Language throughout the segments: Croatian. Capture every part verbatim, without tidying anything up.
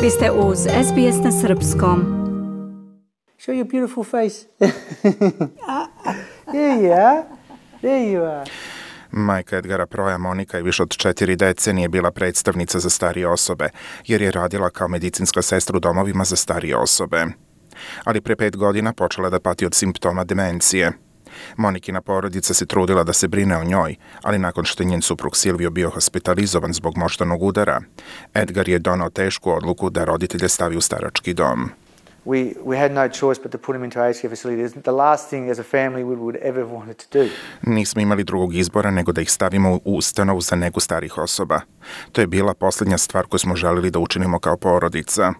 Vi ste uz S B S na srpskom. Show your beautiful face. There you are. There you are. Majka Edgara Proja, Monika, je više od četiri decenije bila predstavnica za starije osobe, jer je radila kao medicinska sestra u domovima za starije osobe. Ali pre pet godina počela da pati od simptoma demencije. Monikina porodica se trudila da se brine o njoj, ali nakon što je njen suprug Silvio bio hospitalizovan zbog moždanog udara, Edgar je donao tešku odluku da roditelje stavi u starački dom. We, we had no choice but to put him into aged care facilities. The last thing as a family we would ever wanted to do. Nismo imali drugog izbora nego da ih stavimo u ustanovu za negu starih osoba. To je bila posljednja stvar koju smo želili da učinimo kao porodica.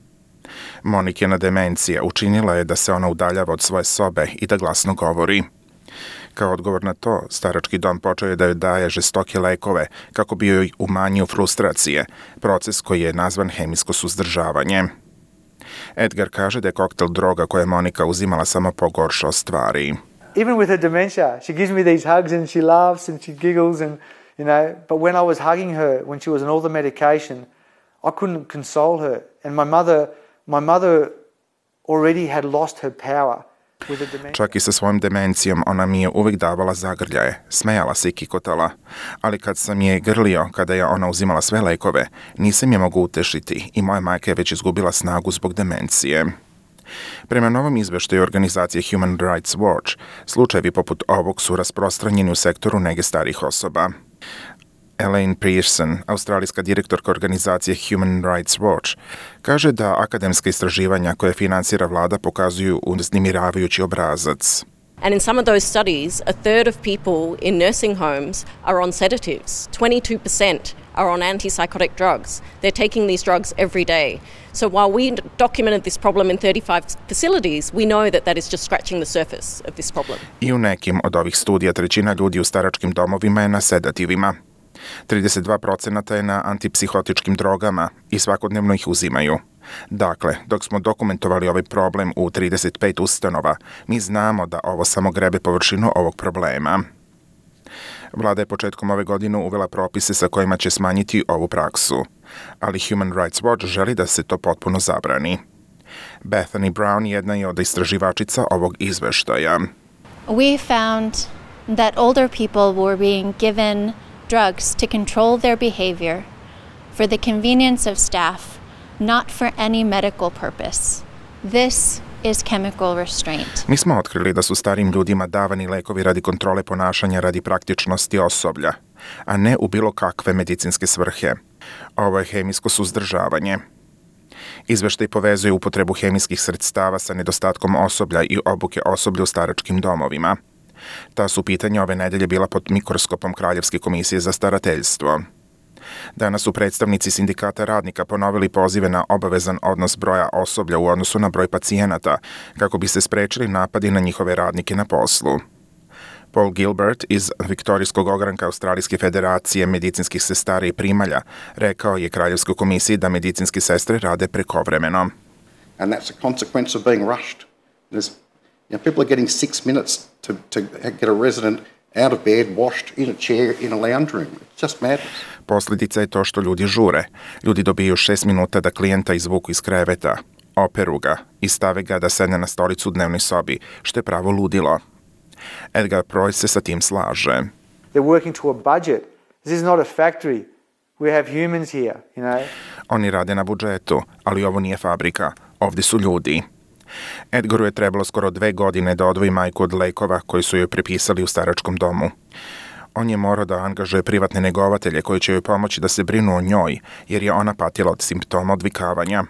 Monikina demencija učinila je da se ona udaljava od svoje sobe i da glasno govori. Kao odgovor na to, starački dom počeo je da joj daje žestoke lekove kako bi joj umanjio frustracije, proces koji je nazvan hemijsko suzdržavanje. Edgar kaže da je koktel droga koje je Monika uzimala samo pogoršao stvari. Even with her dementia, she gives me these hugs and she laughs and she giggles and, you know, but when I was hugging her, when she was on all the medication, I couldn't console her. And my mother, my mother already had lost her power. Čak i sa svojom demencijom ona mi je uvijek davala zagrljaje, smejala se i kikotala, ali kad sam je grlio, kada je ona uzimala sve lekove, nisam je mogu utešiti i moja majka je već izgubila snagu zbog demencije. Prema novom izveštaju organizacije Human Rights Watch, slučajevi poput ovog su rasprostranjeni u sektoru nege starih osoba. Elaine Pearson, australijska direktorka organizacije Human Rights Watch, kaže da akademska istraživanja koje finansira vlada pokazuju uznemiravajući obrazac. And in some of those studies, a third of people in nursing homes are on sedatives. twenty-two percent are on antipsychotic drugs. They're taking these drugs every day. So while we documented this problem in thirty-five facilities, we know that that is just scratching the surface of this problem. I u nekim od ovih studija trećina ljudi u staračkim domovima je na sedativima. trideset dva procenata je na antipsihotičkim drogama i svakodnevno ih uzimaju. Dakle, dok smo dokumentovali ovaj problem u trideset pet ustanova, mi znamo da ovo samo grebe površinu ovog problema. Vlada je početkom ove godine uvela propise sa kojima će smanjiti ovu praksu, ali Human Rights Watch želi da se to potpuno zabrani. Bethany Brown jedna je od istraživačica ovog izveštaja. We found that older people were being given drugs to control their behavior for the convenience of staff, not for any medical purpose. This is chemical restraint. Mi smo otkrili da su starim ljudima davani lekovi radi kontrole ponašanja radi praktičnosti osoblja, a ne u bilo kakve medicinske svrhe. Ovo je hemijsko suzdržavanje. Izveštaj povezuje upotrebu hemijskih sredstava sa nedostatkom osoblja i obuke osoblja u staračkim domovima. Ta su pitanja ove nedelje bila pod mikroskopom Kraljevske komisije za starateljstvo. Danas su predstavnici sindikata radnika ponovili pozive na obavezan odnos broja osoblja u odnosu na broj pacijenata, kako bi se sprečili napadi na njihove radnike na poslu. Paul Gilbert iz Viktorijskog ogranka Australijske federacije medicinskih sestara i primalja rekao je Kraljevskoj komisiji da medicinske sestre rade prekovremeno. And that's a consequence of being rushed. There's You know, people are getting six minutes to, to get a resident out of bed, washed in a chair in a lounge room. It's just madness. Posljedica je to što ljudi žure. Ljudi dobiju šest minuta da klijenta izvuku iz kreveta, operu ga i stave ga da sedne na stolicu u dnevnoj sobi, što je pravo ludilo. Edgar Proj se sa tim slaže. They're working to a budget. This is not a factory. We have humans here, you know. Oni rade na budžetu, ali ovo nije fabrika. Ovdje su ljudi. Edgaru je trebalo skoro dve godine da odvoji majku od lekova koji su joj prepisali u staračkom domu. On je morao da angažuje privatne negovatelje koji će joj pomoći da se brinu o njoj, jer je ona patila od simptoma odvikavanja.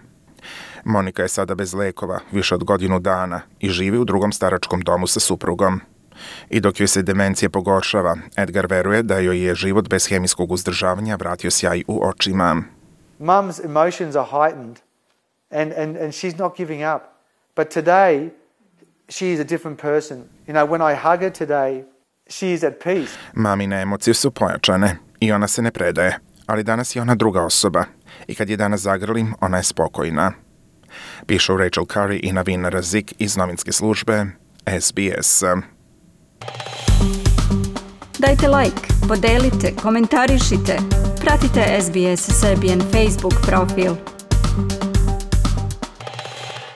Monika je sada bez lekova, više od godinu dana, i živi u drugom staračkom domu sa suprugom. I dok joj se demencija pogoršava, Edgar veruje da joj je život bez hemijskog uzdržavanja vratio sjaj u očima. Mum's emotions are heightened and, and, and she's not giving up. But today, she is a different person. You know, when I hug her today, she is at peace. Mamine emocije su pojačane i ona se ne predaje, ali danas je ona druga osoba. I kad je danas zagrlim, ona je spokojna. Pišu Rachel Curry i Navin Razik iz novinske službe S B S. Dajte like, podelite, komentarišite, pratite S B S Serbian Facebook profil.